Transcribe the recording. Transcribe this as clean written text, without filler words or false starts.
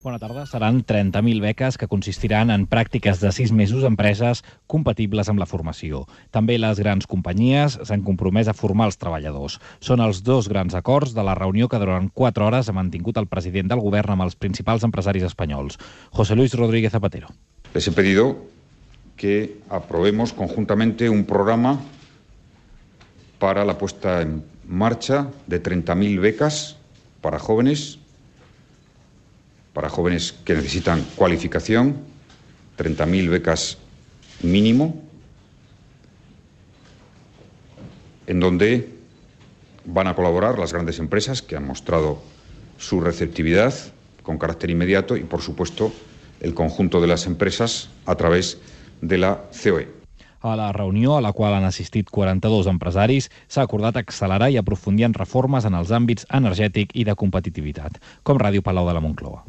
Bona tarda. Seran 30.000 beques que consistiran en pràctiques de 6 mesos a empreses compatibles amb la formació. També les grans companyies s'han compromès a formar els treballadors. Són els dos grans acords de la reunió que durant 4 hores ha mantingut el president del govern amb els principals empresaris espanyols. José Luis Rodríguez Zapatero. Les he pedido que aprobemos conjuntamente un programa para la puesta en marcha de 30.000 becas para jóvenes que necesitan cualificación, 30.000 becas mínimo, en donde van a colaborar las grandes empresas que han mostrado su receptividad con carácter inmediato y, por supuesto, el conjunto de las empresas a través de la COE. A la reunió, a la qual han assistit 42 empresaris, s'ha acordat accelerar i aprofundir en reformes en els àmbits energètic i de competitivitat, com Ràdio Palau de la Moncloa.